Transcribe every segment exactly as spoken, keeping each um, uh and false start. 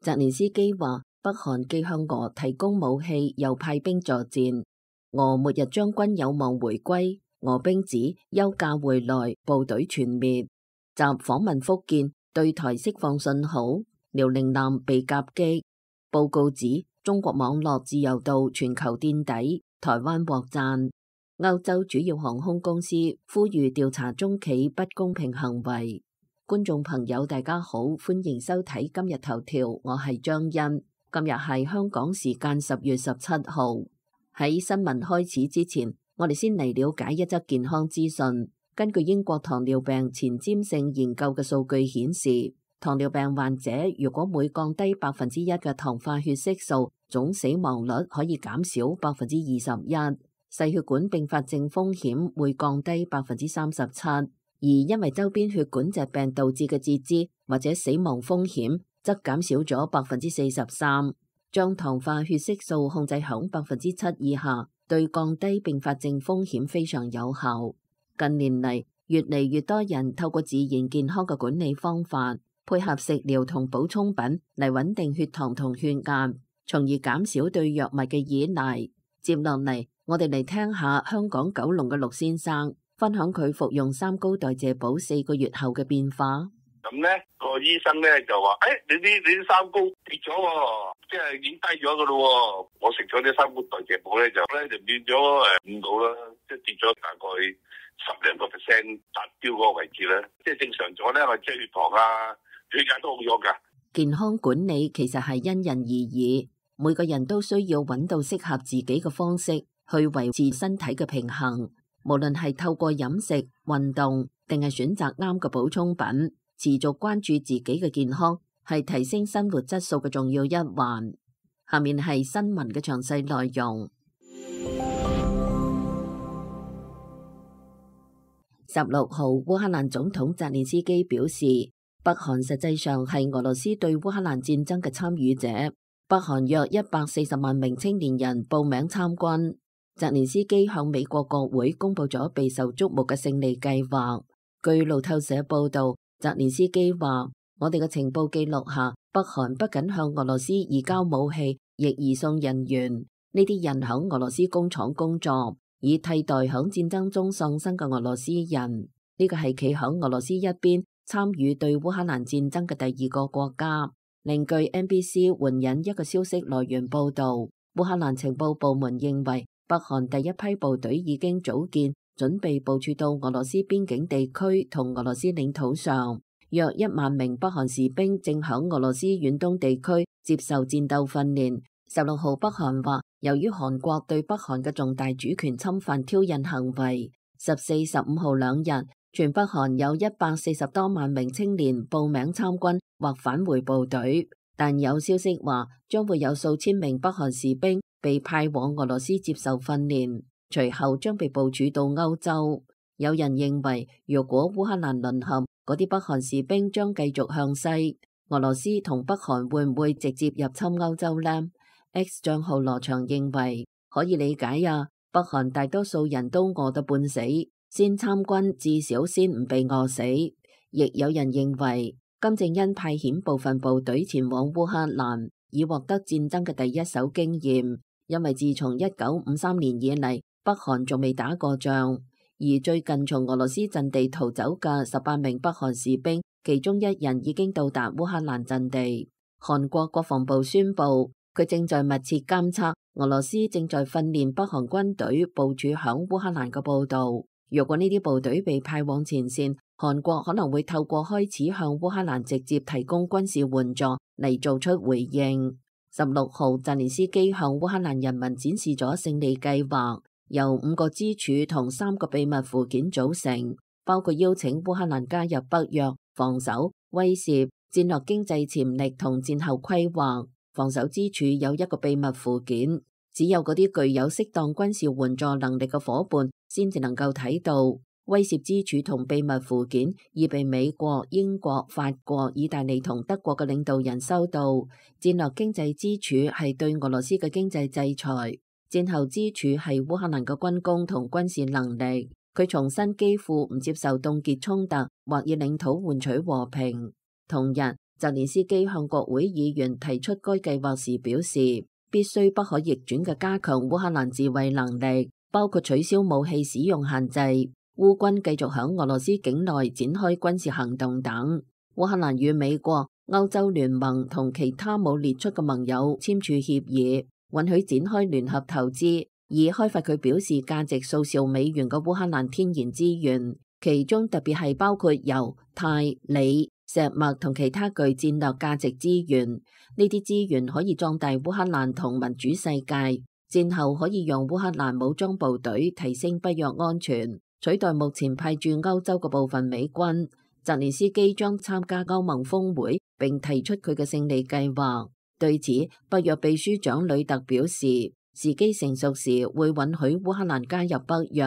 澤連斯基話，北韓既向俄提供武器，又派兵助戰，俄末日將軍有望回歸。俄兵指休假回來，部隊全滅。習訪問福建，對台釋放信號。遼寧艦被夾擊。報告指中國網絡自由度全球墊底，台灣獲讚。歐洲主要航空公司呼籲調查中企不公平行為。觀眾朋友大家好，歡迎收睇今日頭條，我係張欣。今日係香港時間十月十七號。喺新聞開始之前，我哋先嚟了解一則健康資訊。根據英國糖尿病前瞻性研究嘅數據顯示，糖尿病患者如果每降低百分之一嘅糖化血色素，總死亡率可以減少百分之二十一，細血管併發症風險會降低百分之三十七，而因為周邊血管疾病導致嘅截肢或者死亡風險則減少咗百分之四十三。將糖化血色素控制響百分之七以下，對降低併發症風險非常有效。近年嚟，越嚟越多人透過自然健康嘅管理方法，配合食療同補充品嚟穩定血糖同血壓，從而減少對藥物嘅依賴。接落嚟，我哋嚟聽下香港九龍嘅陸先生分享佢服用三高代謝寶四個月後嘅變化。咁咧，個醫生咧就話：，誒、哎，你啲你啲三高跌咗，即係已經低咗噶咯。我食咗啲三高代謝寶咧，就咧就變咗誒五度啦，即係跌咗大概十零個 percent 達標嗰個位置咧。即係正常咗咧，我即係血糖啊、血壓都好咗噶。健康管理其實係因人而異，每個人都需要揾到適合自己嘅方式去維持身體嘅平衡。無論係透過飲食、運動，定係選擇啱嘅補充品。持續關注自己嘅健康係提升生活質素嘅重要一環。下面係新聞嘅詳細內容。十六號，烏克蘭總統澤連斯基表示，北韓實際上係俄羅斯對烏克蘭戰爭嘅參與者。北韓約一百四十萬名青年人報名參軍。澤連斯基向美國國會公布咗備受矚目嘅勝利計劃。據路透社報道，澤連斯基話：我哋嘅情報記錄下，北韓不僅向俄羅斯移交武器，亦移送人員。呢啲人響俄羅斯工廠工作，以替代響戰爭中喪生嘅俄羅斯人。呢個係企響俄羅斯一邊參與對烏克蘭戰爭嘅第二個國家。另據 N B C 援引一個消息來源報道，烏克蘭情報部門認為，北韓第一批部隊已經組建，準備部署到俄羅斯邊境地區同俄羅斯領土上，約一萬名北韓士兵正響俄羅斯遠東地區接受戰鬥訓練。十六號，北韓話，由於韓國對北韓嘅重大主權侵犯挑釁行為，十四、十五號兩日，全北韓有一百四十多萬名青年報名參軍或返回部隊，但有消息話將會有數千名北韓士兵被派往俄羅斯接受訓練。隨後將被部署到歐洲。有人認為，如果烏克蘭淪陷，嗰啲北韓士兵將繼續向西。俄羅斯同北韓會唔會直接入侵歐洲呢？ X 賬號羅翔認為可以理解啊，北韓大多數人都餓到半死，先參軍至少先唔被餓死。亦有人認為，金正恩派遣部分部隊前往烏克蘭，以獲得戰爭嘅第一手經驗，因為自從一九五三年以嚟，北韓仲未打過仗，而最近從俄羅斯陣地逃走嘅十八名北韓士兵，其中一人已經到達烏克蘭陣地。韓國國防部宣布，佢正在密切監測俄羅斯正在訓練北韓軍隊部署響烏克蘭嘅報道。如果呢啲部隊被派往前線，韓國可能會透過開始向烏克蘭直接提供軍事援助嚟做出回應。十六號，澤連斯基向烏克蘭人民展示咗勝利計劃。由五個支柱同三個秘密附件組成，包括邀請烏克蘭加入北約、防守、威懾、戰略經濟潛力同戰後規劃。防守支柱有一個秘密附件，只有嗰啲具有適當軍事援助能力嘅夥伴先至能夠睇到。威懾支柱同秘密附件已被美國、英國、法國、意大利同德國嘅領導人收到。戰略經濟支柱係對俄羅斯嘅經濟制裁。戰後支柱係烏克蘭嘅軍工同軍事能力，佢重申基輔唔接受凍結衝突或以領土換取和平。同日，澤澤連斯基向國會議員提出該計劃時表示，必須不可逆轉嘅加強烏克蘭自衛能力，包括取消武器使用限制、烏軍繼續響俄羅斯境內展開軍事行動等。烏克蘭與美國、歐洲聯盟同其他冇列出嘅盟友簽署協議，允許展開聯合投資，以開發佢表示價值數兆美元嘅烏克蘭天然資源，其中特別係包括油、鈦、鋰、石墨同其他具戰略價值資源。呢啲資源可以壯大烏克蘭同民主世界，戰後可以讓烏克蘭武裝部隊提升北約安全，取代目前派駐歐洲嘅部分美軍。澤連斯基將參加歐盟峰會，並提出佢嘅勝利計劃。對此，北約秘書長呂特表示，時機成熟時會允許烏克蘭加入北約。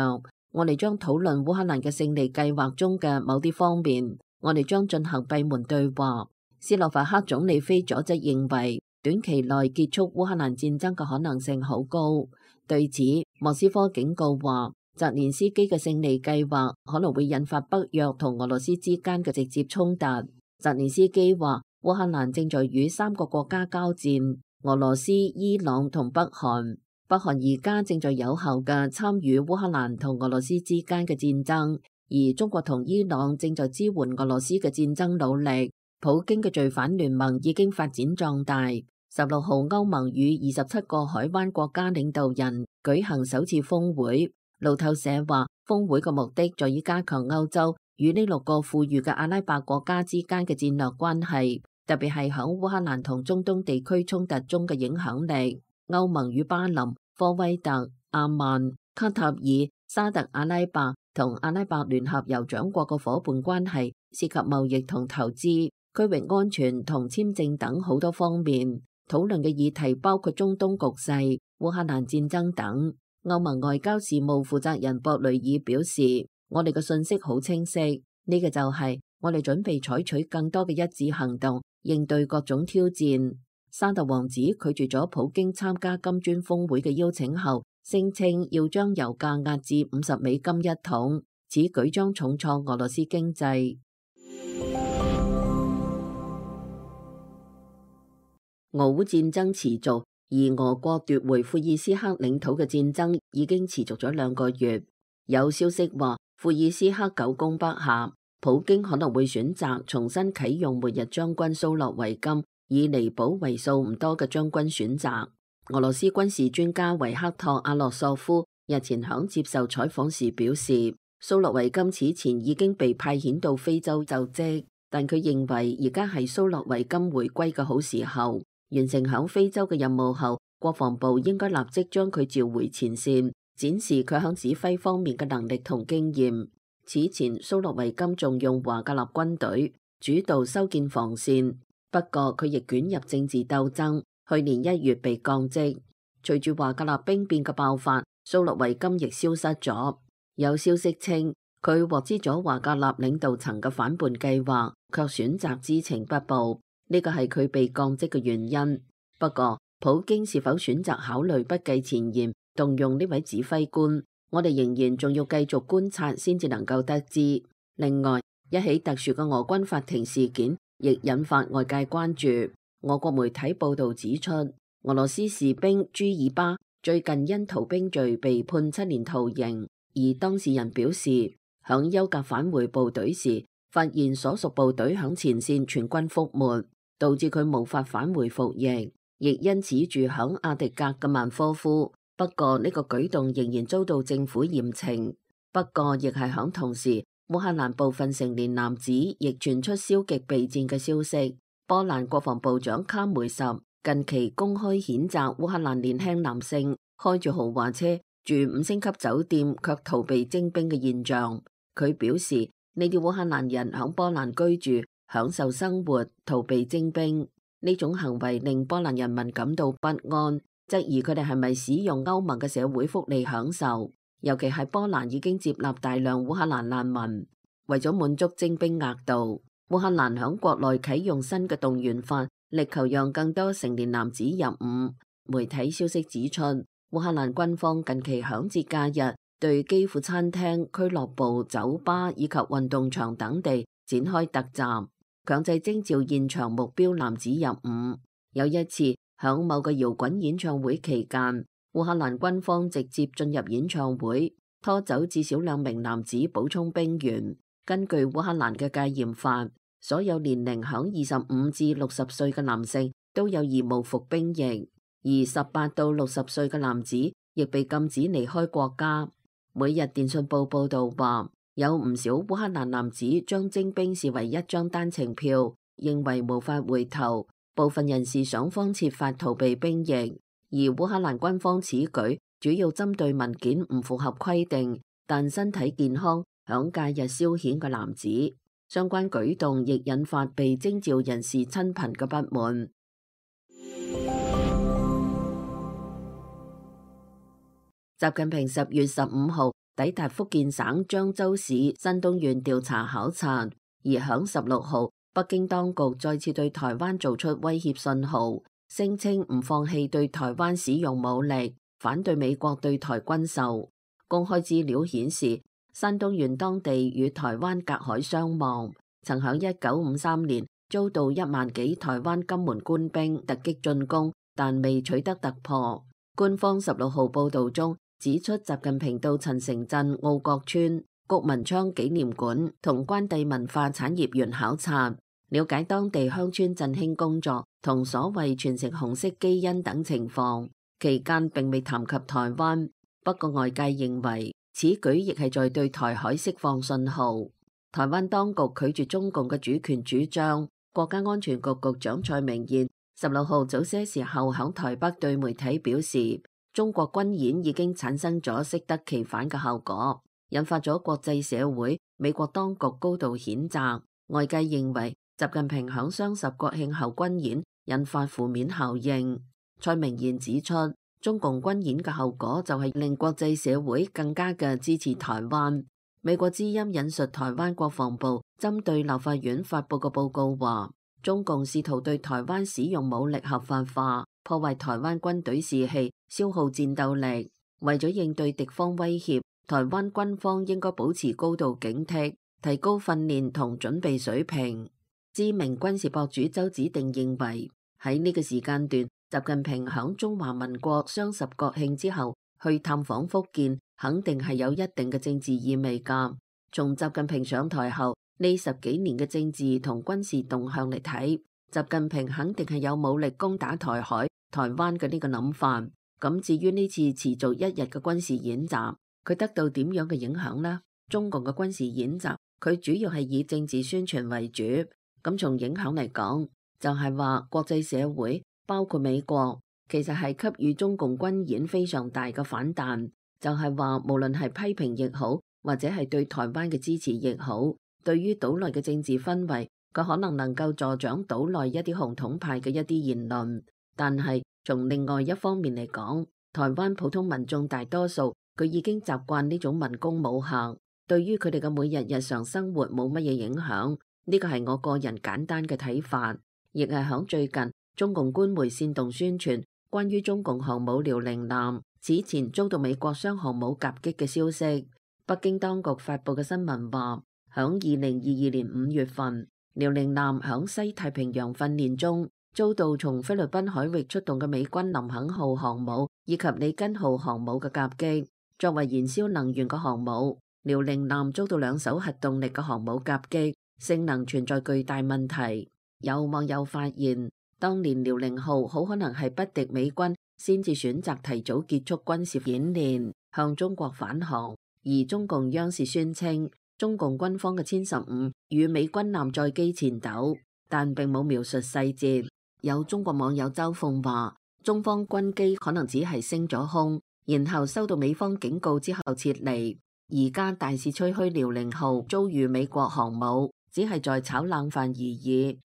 我哋將討論烏克蘭嘅勝利計劃中嘅某啲方面，我哋將進行閉門對話。斯洛伐克總理菲佐則認為，短期內結束烏克蘭戰爭嘅可能性好高。對此，莫斯科警告話，澤連斯基嘅勝利計劃可能會引發北約同俄羅斯之間嘅直接衝突。澤連斯基話，烏克蘭正在與三個國家交戰，俄羅斯、伊朗同北韓。北韓而家正在有效嘅參與烏克蘭同俄羅斯之間嘅戰爭，而中國同伊朗正在支援俄羅斯嘅戰爭努力。普京嘅罪犯聯盟已經發展壯大。十六號，歐盟與二十七個海灣國家領導人舉行首次峰會。路透社話，峰會嘅目的在於加強歐洲與呢六個富裕嘅阿拉伯國家之間嘅戰略關係，特別係響烏克蘭同中東地區衝突中嘅影響力。歐盟與巴林、科威特、阿曼、卡塔爾、沙特阿拉伯同阿拉伯聯合酋長國嘅伙伴關係涉及貿易同投資、區域安全同簽證等好多方面。討論嘅議題包括中東局勢、烏克蘭戰爭等。歐盟外交事務負責人博雷爾表示，我哋嘅信息好清晰，呢個就係我哋準備採取更多嘅一致行動，應對各種挑戰。沙特王子拒絕咗普京參加金磚峰會嘅邀請後，聲稱要將油價壓至五十美金一桶，此舉將重創俄羅斯經濟。俄烏戰爭持續，而俄國奪回庫爾斯克領土嘅戰爭已經持續咗兩個月。有消息話，庫爾斯克久攻不下，普京可能會選擇重新啟用末日將軍蘇洛維金，以彌補為數唔多嘅將軍選擇。俄羅斯軍事專家維克托·阿洛索夫日前響接受採訪時表示，蘇洛維金此前已經被派遣到非洲就職，但佢認為而家係蘇洛維金回歸嘅好時候。完成響非洲嘅任務後，國防部應該立即將佢召回前線，展示佢響指揮方面嘅能力同經驗。此前蘇洛維金仲用華格納軍隊主導修建防線，不過佢亦捲入政治鬥爭，去年一月被降職。隨住華格納兵變嘅爆發，蘇洛維金亦消失咗。有消息稱佢獲知咗華格納領導層嘅反叛計劃，卻選擇知情不報。呢個係佢被降職嘅原因。不過，普京是否選擇考慮不計前嫌動用呢位指揮官，我哋仍然仲要繼續觀察先至能夠得知。另外，一起特殊嘅俄軍法庭事件亦引發外界關注。俄國媒體報道指出，俄羅斯士兵朱爾巴最近因逃兵罪被判七年徒刑，而當事人表示，響休假返回部隊時，發現所屬部隊響前線全軍覆沒，導致佢無法返回服役，亦因此住響阿迪格嘅曼科夫。不過呢個舉動仍然遭到政府嚴懲。不過亦係響同時，烏克蘭部分成年男子亦傳出消極備戰嘅消息。波蘭國防部長卡梅什近期公開譴責烏克蘭年輕男性開住豪華車住五星級酒店卻逃避徵兵嘅現象。佢表示，呢啲烏克蘭人響波蘭居住，享受生活，逃避徵兵，呢種行為令波蘭人民感到不安，質疑佢哋係咪使用歐盟嘅社會福利享受。尤其係波蘭已經接納大量烏克蘭難民，為咗滿足徵兵額度，烏克蘭響國內啟用新嘅動員法，力求讓更多成年男子入伍。媒體消息指出，烏克蘭軍方近期響節假日對基輔餐廳、俱樂部、酒吧以及運動場等地展開突襲。強制徵召現場目標男子入伍。有一次，響某個搖滾演唱會期間，烏克蘭軍方直接進入演唱會，拖走至少兩名男子補充兵員。根據烏克蘭嘅戒嚴法，所有年齡響二十五至六十歲嘅男性都有義務服兵役，而十八到六十歲嘅男子亦被禁止離開國家。每日電訊報報道話，有唔少烏克蘭男子將徵兵視為一張單程票，認為無法回頭。部分人士想方設法逃避兵役，而烏克蘭軍方此舉主要針對文件唔符合規定但身體健康響假日消遣嘅男子。相關舉動亦引發被徵召人士親朋嘅不滿。習近平十月十五號抵達福建省漳州市山東縣調查考察，而響十六號，北京當局再次對台灣做出威脅信號，聲稱唔放棄對台灣使用武力，反對美國對台軍售。公開資料顯示，山東縣當地與台灣隔海相望，曾響一九五三年遭到一萬幾台灣金門官兵突擊進攻，但未取得突破。官方十六號報道中指出，習近平到陳城鎮澳國村谷文昌紀念館同關帝文化產業園考察，了解當地鄉村振興工作同所謂傳承紅色基因等情況。期間並未談及台灣，不過外界認為此舉亦係在對台海釋放信號。台灣當局拒絕中共嘅主權主張。國家安全局局長蔡明彥十六號早些時候響台北對媒體表示，中國軍演已經產生咗適得其反嘅效果，引發咗國際社會、美國當局高度譴責。外界認為習近平響雙十國慶後軍演引發負面效應。蔡明彥指出，中共軍演嘅後果就係令國際社會更加嘅支持台灣。美國之音引述台灣國防部針對立法院發佈嘅報告話，中共試圖對台灣使用武力合法化，破壞台灣軍隊士氣，消耗戰鬥力。為咗應對敵方威脅，台灣軍方應該保持高度警惕，提高訓練同準備水平。知名軍事博主周子定認為，喺呢個時間段，習近平響中華民國雙十國慶之後去探訪福建，肯定係有一定嘅政治意味㗎。從習近平上台後呢十幾年嘅政治同軍事動向嚟睇，習近平肯定係有武力攻打台海、台灣嘅呢個諗法。咁至於呢次持續一日嘅軍事演習，佢得到點樣嘅影響呢？中共嘅軍事演習，佢主要係以政治宣傳為主。咁從影響嚟講，就係話國際社會包括美國，其實係給予中共軍演非常大嘅反彈。就係話無論係批評亦好，或者係對台灣嘅支持亦好，對於島內嘅政治氛圍，佢可能能夠助長島內一啲紅統派嘅一啲言論。但係從另外一方面嚟講，台灣普通民眾大多數佢已經習慣呢種文攻武嚇，對於佢哋嘅每日日常生活冇乜嘢影響。呢個係我個人簡單嘅睇法，亦係響最近中共官媒煽動宣傳關於中共航母遼寧艦此前遭到美國雙航母夾擊嘅消息。北京當局發佈嘅新聞話，響二零二二年五月份，遼寧艦響西太平洋訓練中遭到從菲律賓海域出動嘅美軍林肯號航母以及里根號航母嘅夾擊。作為燃燒能源嘅航母，遼寧艦遭到兩艘核動力嘅航母夾擊，性能存在巨大問題。有網友發現，當年遼寧號好可能係不敵美軍先至選擇提早結束軍事演練，向中國返航。而中共央視宣稱，中共軍方嘅殲十五與美軍艦載機纏鬥，但並冇描述細節。有中國網友周鳳話，中方軍機可能只係升咗空，然後收到美方警告之後撤離。而家大肆吹噓遼寧號遭遇美國航母，只係在炒冷飯而已。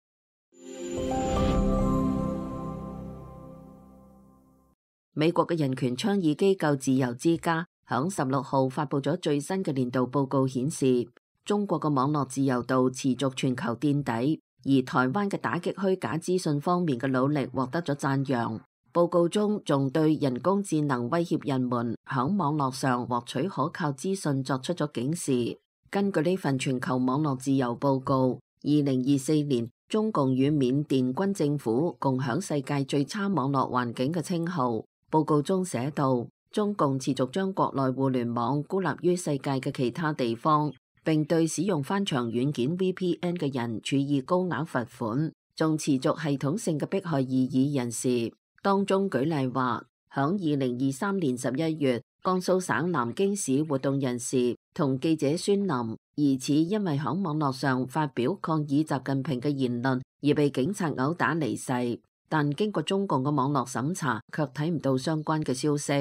美國嘅人權倡議機構自由之家響十六號發佈咗最新嘅年度報告，顯示中國嘅網絡自由度持續全球墊底，而台灣嘅打擊虛假資訊方面嘅努力獲得咗讚揚。報告中仲對人工智能威脅人們響網絡上獲取可靠資訊作出咗警示。根據呢份全球網絡自由報告，二零二四年，中共與緬甸軍政府共享世界最差網絡環境嘅稱號。報告中寫道，中共持續將國內互聯網孤立於世界嘅其他地方，並對使用翻牆軟件 V P N 嘅人處以高額罰款，仲持續系統性嘅迫害異議人士。當中舉例話，響二零二三年十一月，江蘇省南京市活動人士同記者孫林疑似因為響網絡上發表抗議習近平嘅言論而被警察毆打離世，但經過中共嘅網絡審查，卻睇唔到相關嘅消息。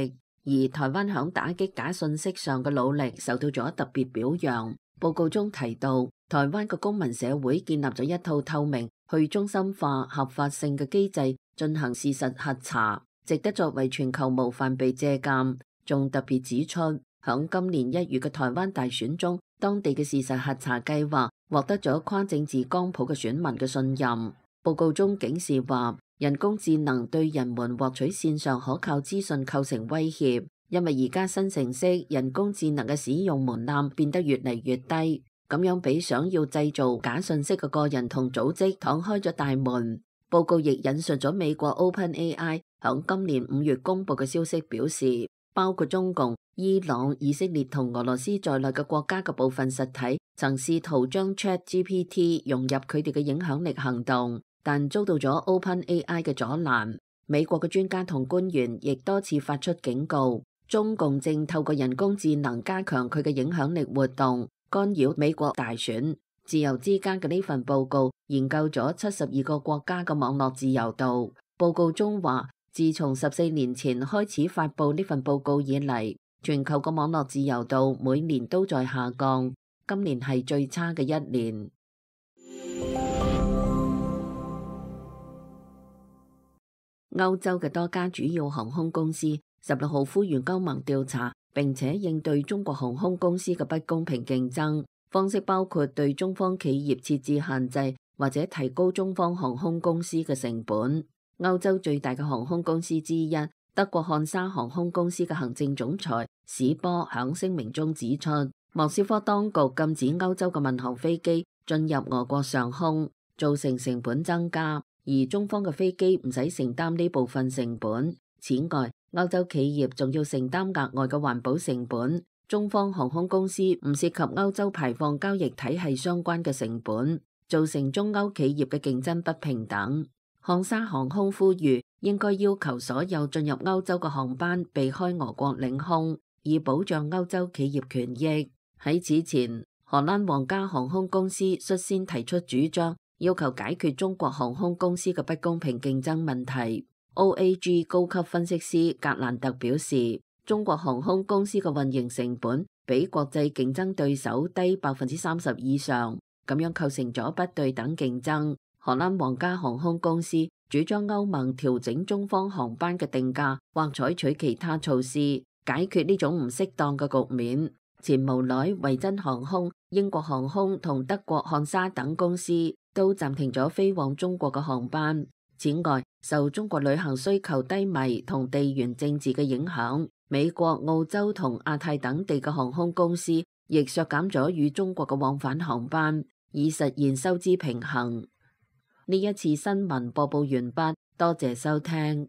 而台灣響打擊假信息上嘅努力受到咗特別表揚。報告中提到，台灣嘅公民社會建立咗一套透明、去中心化、合法性嘅機制進行事實核查，值得作為全球模範被借鑑。仲特別指出，響今年一月嘅台灣大選中，當地嘅事實核查計劃獲得咗跨政治光譜嘅選民嘅信任。報告中警示話，人工智能對人們獲取線上可靠資訊構成威脅，因為而家新程式人工智能嘅使用門檻變得越嚟越低，咁樣俾想要製造假信息嘅個人同組織敞開咗大門。報告亦引述咗美國 OpenAI 響今年五月公布嘅消息，表示包括中共、伊朗、以色列同俄羅斯在內嘅國家嘅部分實體曾試圖將 ChatGPT 融入佢哋嘅影響力行動，但遭到咗 OpenAI 嘅阻攔。美國嘅專家同官員亦多次發出警告，中共正透過人工智能加強佢嘅影響力活動，干擾美國大選。自由之家嘅呢份報告研究咗七十二個國家嘅網絡自由度。報告中話，自從十四年前開始發布呢份報告以嚟，全球嘅網絡自由度每年都在下降，今年係最差嘅一年。歐洲嘅多家主要航空公司十六號呼籲歐盟調查，並且應對中國航空公司嘅不公平競爭方式，包括對中方企業設置限制，或者提高中方航空公司嘅成本。歐洲最大嘅航空公司之一，德國漢莎航空公司嘅行政總裁史波響聲明中指出，莫斯科當局禁止歐洲嘅民航飛機進入俄國上空，造成成本增加，而中方嘅飛機唔使承擔呢部分成本。此外，歐洲企業仲要承擔額外嘅環保成本，中方航空公司唔涉及歐洲排放交易體系相關嘅成本，造成中歐企業嘅競爭不平等。漢莎航空呼籲應該要求所有進入歐洲嘅航班避開俄國領空，以保障歐洲企業權益。喺此前，荷蘭皇家航空公司率先提出主張，要求解決中國航空公司嘅不公平競爭問題。O A G 高級分析師格蘭特表示，中國航空公司嘅運營成本比國際競爭對手低百分之三十以上，咁樣構成咗不對等競爭。荷蘭皇家航空公司主張歐盟調整中方航班嘅定價，或採取其他措施解決呢種唔適當嘅局面。前無奈維珍航空、英國航空同德國漢莎等公司都暫停咗飛往中國嘅航班。此外，受中國旅行需求低迷同地緣政治嘅影響，美國、澳洲同亞太等地嘅航空公司亦削減咗與中國嘅往返航班，以實現收支平衡。呢一次新聞播報完畢，多謝收聽。